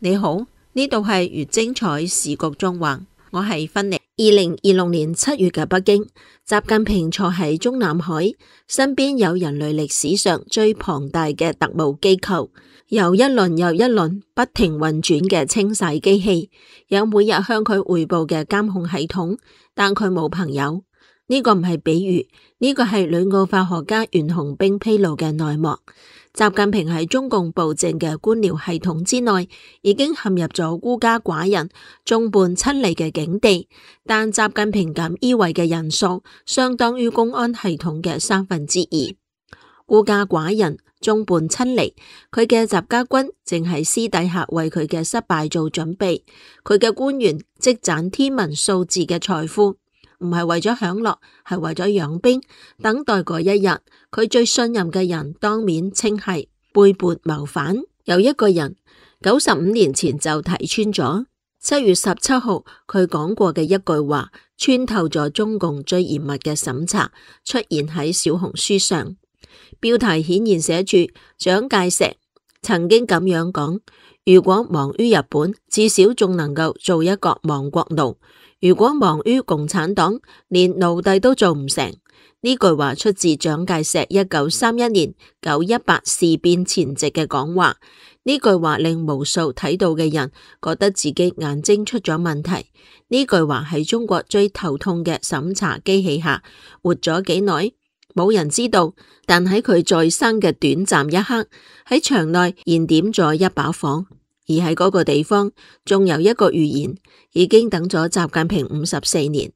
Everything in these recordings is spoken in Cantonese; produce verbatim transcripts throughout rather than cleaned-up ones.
你好，呢度係越精彩時局中環，我係芬妮。二零二六年七月嘅北京，習近平坐喺中南海，身邊有人類歷史上最龐大嘅特務機構，由一輪又一輪不停運轉嘅清洗機器，有每日向佢匯報嘅監控系統，但佢冇朋友。呢個唔係比喻，呢個係旅澳法學家袁洪兵披露嘅內幕。習近平喺中共暴政嘅官僚系統之內，已經陷入咗孤家寡人、眾叛親離嘅境地。但習近平敢依位嘅人數，相當於公安系統嘅三分之二。孤家寡人、眾叛親離，佢嘅習家軍正喺私底下為佢嘅失敗做準備。佢嘅官員積攢天文數字嘅財富，唔係為咗享樂，係為咗養兵，等待嗰一日，佢最信任嘅人當面稱係背叛謀反。有一個人九十五年前就睇穿咗，七月十七號佢講過嘅一句話，穿透咗中共最嚴密嘅審查，出現喺小紅書上。標題顯然寫住蔣介石曾經咁樣講：如果亡於日本，至少仲能夠做一個亡國奴。如果亡於共產黨，連奴隸都做唔成。呢句話出自蔣介石一九三一年九一八事變前夕嘅講話。呢句話令無數睇到嘅人覺得自己眼睛出咗問題。呢句話喺中國最頭痛嘅審查機器下活咗幾耐，冇人知道。但喺佢在生嘅短暫一刻，喺場內燃點咗一把火。而喺嗰個地方，仲有一個預言，已經等咗習近平五十四年。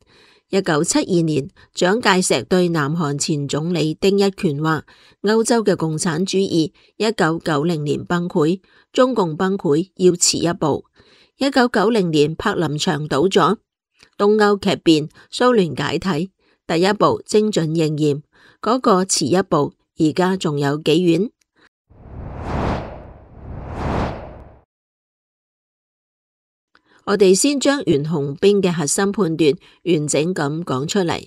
一九七二年，蔣介石對南韓前總理丁一權話：歐洲嘅共產主義一九九零年崩潰，中共崩潰要遲一步。一九九零年柏林牆倒咗，東歐劇變，蘇聯解體，第一步精準應驗，嗰個遲一步，而家仲有幾遠？我哋先將袁洪兵嘅核心判斷完整咁講出嚟。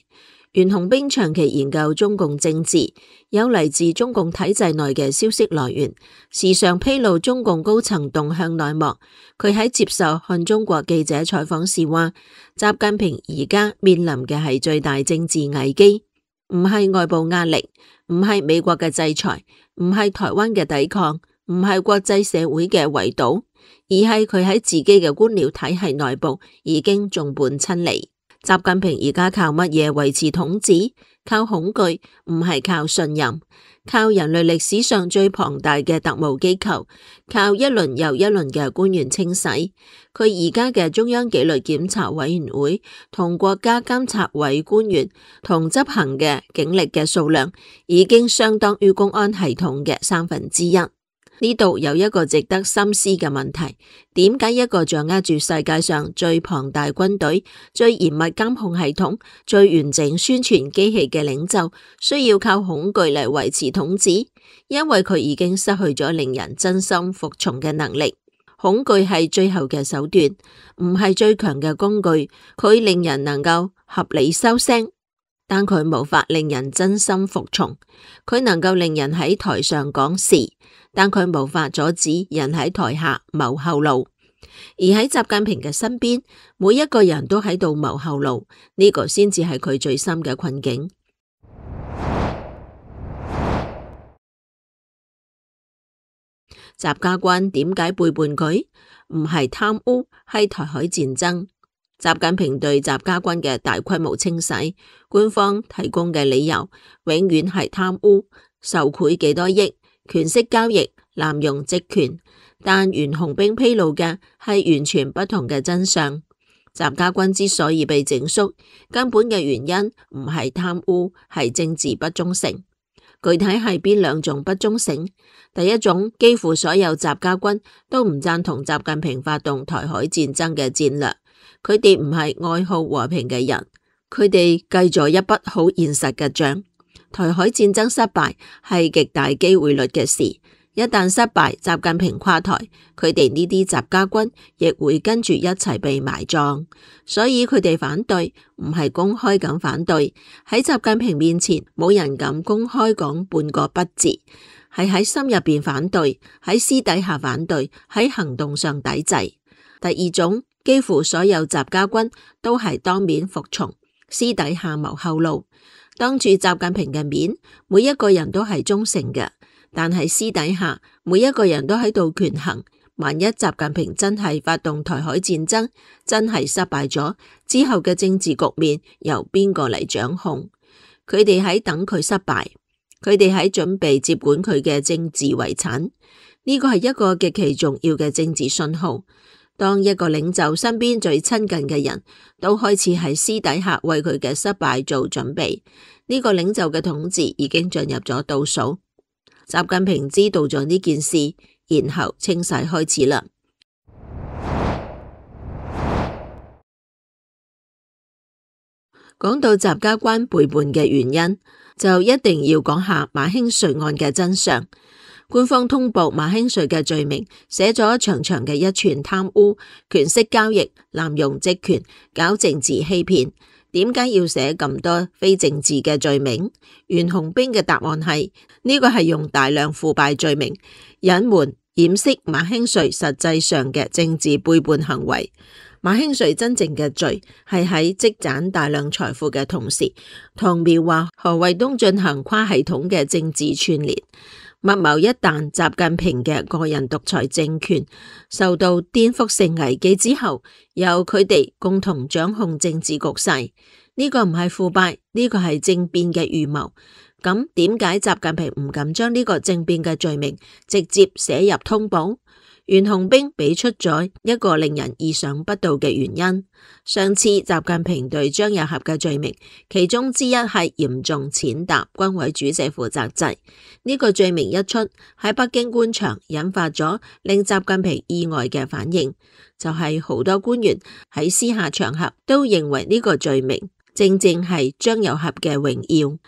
袁洪兵長期研究中共政治，有嚟自中共體制內嘅消息來源，時常披露中共高層動向內幕。佢喺接受看中國記者採訪時話：習近平而家面臨嘅係最大政治危機，唔係外部壓力，唔係美國嘅制裁，唔係台灣嘅抵抗，唔係國際社會嘅圍堵，而係佢喺自己嘅官僚體系內部已經眾叛親離。習近平而家靠乜嘢維持統治？靠恐懼，唔係靠信任，靠人類歷史上最龐大嘅特務機構，靠一輪又一輪嘅官員清洗。佢而家嘅中央紀律檢查委員會同國家監察委官員同執行嘅警力嘅數量，已經相當於公安系統嘅三分之一。呢度有一個值得深思嘅問題：點解一個掌握住世界上最龐大軍隊、最嚴密監控系統、最完整宣傳機器嘅領袖，需要靠恐懼嚟維持統治？因為佢已經失去咗令人真心服從嘅能力。恐懼係最後嘅手段，唔係最強嘅工具。佢令人能夠合理收聲，但佢無法令人真心服從。佢能夠令人喺台上講是，但佢無法阻止人喺台下謀後路。而喺習近平嘅身邊，每一個人都喺度謀後路，呢個先至係佢最深嘅困境。習家軍點解背叛佢？唔係貪污，係台海戰爭。習近平對習家軍嘅大規模清洗，官方提供嘅理由永遠係貪污、受賄幾多億、權色交易、濫用職權。但袁洪兵披露嘅係完全不同嘅真相。習家軍之所以被整肅，根本嘅原因唔係貪污，係政治不忠誠。具體係邊兩種不忠誠？第一種，幾乎所有習家軍都唔贊同習近平發動台海戰爭嘅戰略，佢哋唔係愛好和平嘅人，佢哋計咗一筆好現實嘅賬。台海戰爭失敗係極大機會率嘅事，一旦失敗，習近平垮台，佢哋呢啲習家軍亦會跟住一齊被埋葬。所以佢哋反對唔係公開咁反對，喺習近平面前冇人敢公開講半個不字。係喺心入邊反對，喺私底下反對，喺行動上抵制。第二種，幾乎所有習家軍都係當面服從，私底下謀後路。當住習近平嘅面，每一個人都係忠誠嘅，但係私底下每一個人都喺度權衡。萬一習近平真係發動台海戰爭，真係失敗咗之後嘅政治局面由邊個嚟掌控？佢哋喺等佢失敗，佢哋喺準備接管佢嘅政治遺產。呢個係一個極其重要嘅政治信號。當一個領袖身邊最親近嘅人都開始喺私底下為佢嘅失敗做準備，呢個領袖嘅統治已經進入咗倒數。習近平知道咗呢件事，然後清洗開始啦。講到習家軍背叛嘅原因，就一定要講下馬興瑞案嘅真相。官方通報馬興瑞嘅罪名，寫咗長長嘅一串貪污、權色交易、濫用職權、搞政治欺騙。點解要寫咁多非政治嘅罪名？袁洪兵嘅答案係呢個係用大量腐敗罪名隱瞞掩飾馬興瑞實際上嘅政治背叛行為。馬興瑞真正嘅罪係喺積攢大量財富嘅同時，同描畫何衛東進行跨系統嘅政治串聯，密謀一旦習近平嘅個人獨裁政權受到顛覆性危機之後，由佢哋共同掌控政治局勢。呢個唔係腐敗，呢個係政變嘅預謀。咁點解習近平唔敢將呢個政變嘅罪名直接寫入通報？袁洪兵俾出咗一個令人意想不到嘅原因。上次習近平對張又俠嘅罪名，其中之一係嚴重踐踏軍委主席負責制。呢個罪名一出，喺北京官場引發咗令習近平意外嘅反應，就係好多官員喺私下場合都認為呢個罪名正正係張又俠嘅榮耀。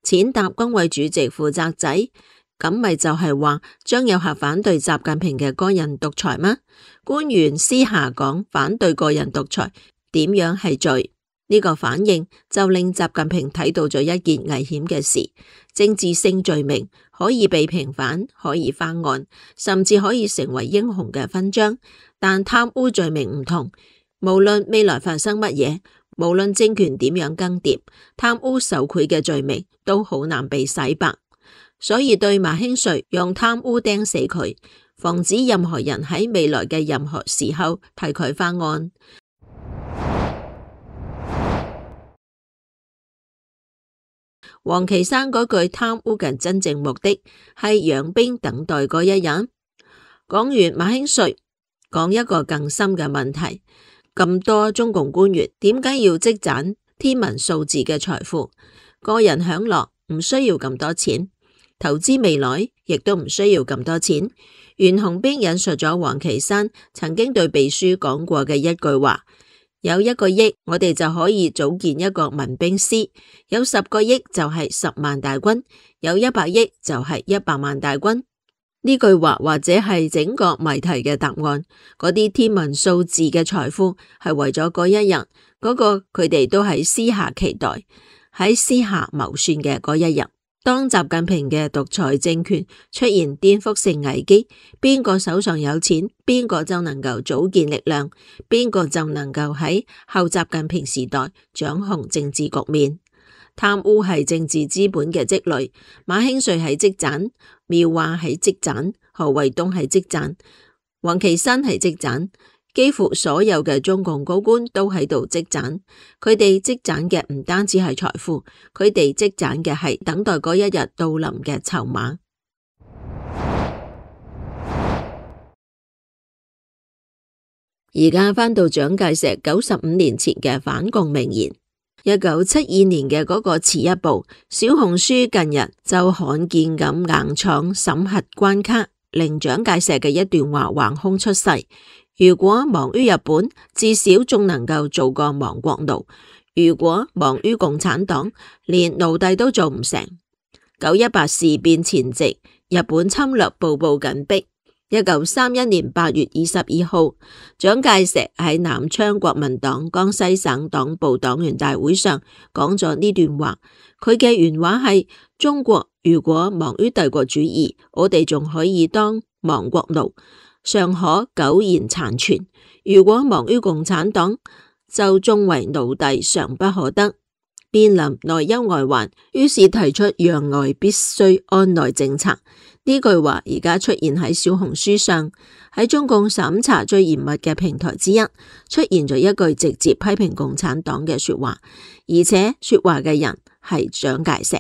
踐踏軍委主席負責制，咁咪就係話張又俠反對習近平嘅個人獨裁嗎？官員私下講反對個人獨裁，點樣係罪？呢個反應就令習近平睇到咗一件危險嘅事：政治性罪名可以被平反，可以翻案，甚至可以成為英雄嘅勳章，但貪污罪名唔同，無論未來發生乜嘢，無論政權點樣更迭，貪污受賄嘅罪名都好難被洗白。所以對馬興瑞用貪污釘死佢，防止任何人喺未來嘅任何時候替佢翻案。王岐山嗰句貪污嘅真正目的係養兵等待嗰一日。講完馬興瑞，講一個更深嘅問題：咁多中共官員點解要積攢天文數字嘅財富？個人享樂唔需要咁多錢，投資未來亦都唔需要咁多錢。袁洪兵引述咗王岐山曾經對秘書講過嘅一句話：有一個億，我哋就可以組建一個民兵師；有十個億就係十萬大軍；有一百億就係一百萬大軍。呢句話或者係整個謎題嘅答案。嗰啲天文數字嘅財富係為咗嗰一日，嗰個佢哋都喺私下期待，喺私下謀算嘅嗰一日。當習近平嘅獨裁政權出現顛覆性危機，邊個手上有錢，邊個就能夠組建力量，邊個就能夠喺後習近平時代掌控政治局面。貪污係政治資本嘅積累，馬興瑞係積攢，苗華係積攢，何衛東係積攢，王岐山係積攢。幾乎所有嘅中共高官都喺度積攢，佢哋積攢嘅唔單止係財富，佢哋積攢嘅係等待嗰一日到臨嘅籌碼。而家返到蔣介石九十五年前嘅反共名言，一九七二年嘅嗰個遲一步，小紅書近日就罕見咁硬闖審核關卡，令蔣介石嘅一段話橫空出世。如果忙於日本，至少仲能夠做個亡國奴；如果忙於共產黨，連奴隸都做唔成。九一八事變前夕，日本侵略步步緊逼，一九三一年八月二十二號，蔣介石喺南昌國民黨江西省黨部黨員大會上講咗呢段話。佢嘅原話係：中國如果亡於帝國主義，我哋仲可以當亡國奴，尚可苟延殘存；如果亡於共產黨，就終為奴隸，尚不可得。面臨內憂外患，於是提出攘外必須安內政策。呢句話而家出現喺小紅書上，喺中共審查最嚴密嘅平台之一，出現咗一句直接批評共產黨嘅說話，而且說話嘅人係蔣介石。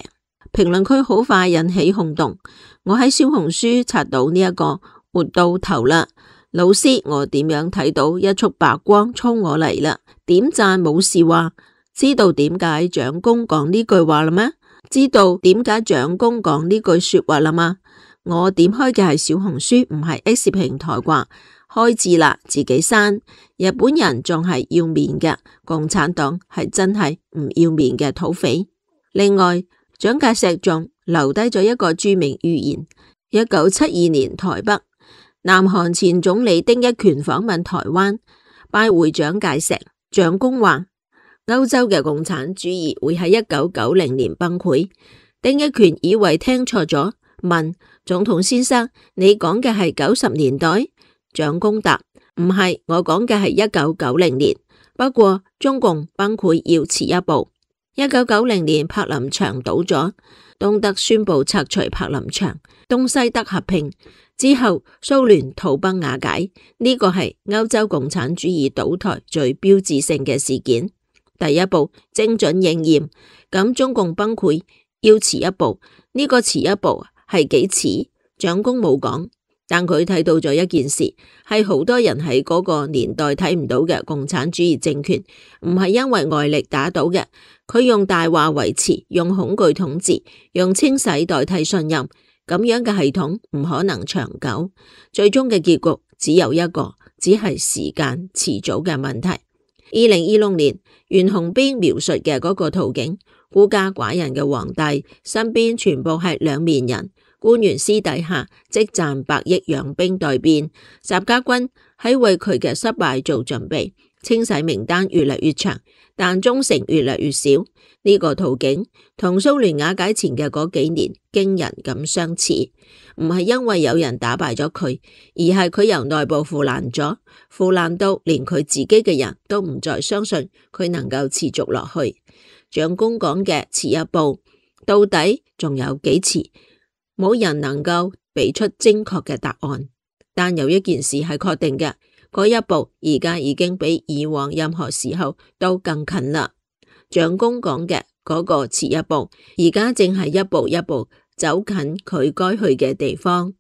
評論區好快引起轟動，我喺小紅書刷到呢一個活到頭啦，老師我點樣睇到一束白光衝我嚟啦？點讚冇事話。知道點解蔣公講呢句話啦咩？知道點解蔣公講呢句說話啦嘛？我點開嘅係小紅書，唔係 X 平台啩？開字啦，自己刪。日本人仲係要面嘅，共產黨係真係唔要面嘅土匪。另外，蔣介石仲留低咗一個著名預言：一九七二年台北，南韓前總理丁一權訪問台灣，拜會蔣介石。蔣公話：歐洲嘅共產主義會喺一九九零年崩潰。丁一權以為聽錯咗，問總統先生：你講嘅係九十年代？蔣公答：唔係，我講嘅係一九九零年。不過中共崩潰要遲一步。一九九零年柏林牆倒咗，東德宣布拆除柏林牆，東西德合併之後，蘇聯土崩瓦解。呢個係歐洲共產主義倒台最標誌性嘅事件。第一步精準應驗，咁中共崩潰要遲一步，呢個遲一步係幾遲？蔣公冇講，但佢睇到咗一件事，係好多人喺嗰個年代睇唔到嘅共產主義政權，唔係因為外力打倒嘅，佢用大話維持，用恐懼統治，用清洗代替信任，咁樣嘅系統唔可能長久，最終嘅結局只有一個，只係時間遲早嘅問題。二零二六年，袁洪兵描述嘅嗰個圖景，孤家寡人嘅皇帝身邊全部係兩面人，官員私底下積賺百億養兵待變，習家軍喺為佢嘅失敗做準備，清洗名單越嚟越長，但忠誠越嚟越少。呢、這個圖景同蘇聯瓦解前嘅嗰幾年驚人咁相似，唔係因為有人打敗咗佢，而係佢由內部腐爛咗，腐爛到連佢自己嘅人都唔再相信佢能夠持續落去。蔣公講嘅遲一步，到底仲有幾遲？冇人能夠俾出精確嘅答案，但有一件事係確定嘅，嗰一步而家已經比以往任何時候都更近啦。蔣公講嘅嗰個遲一步，而家正係一步一步走近佢該去嘅地方，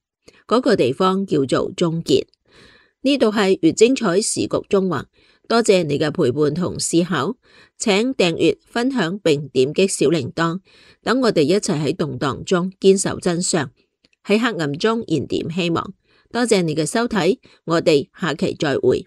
嗰個地方叫做終結。呢度係越精彩時局中橫，多謝你嘅陪伴同思考，請訂閱、分享並點擊小鈴鐺，等我哋一齊喺動盪中堅守真相，喺黑暗中燃點希望。多謝你嘅收睇，我哋下期再會。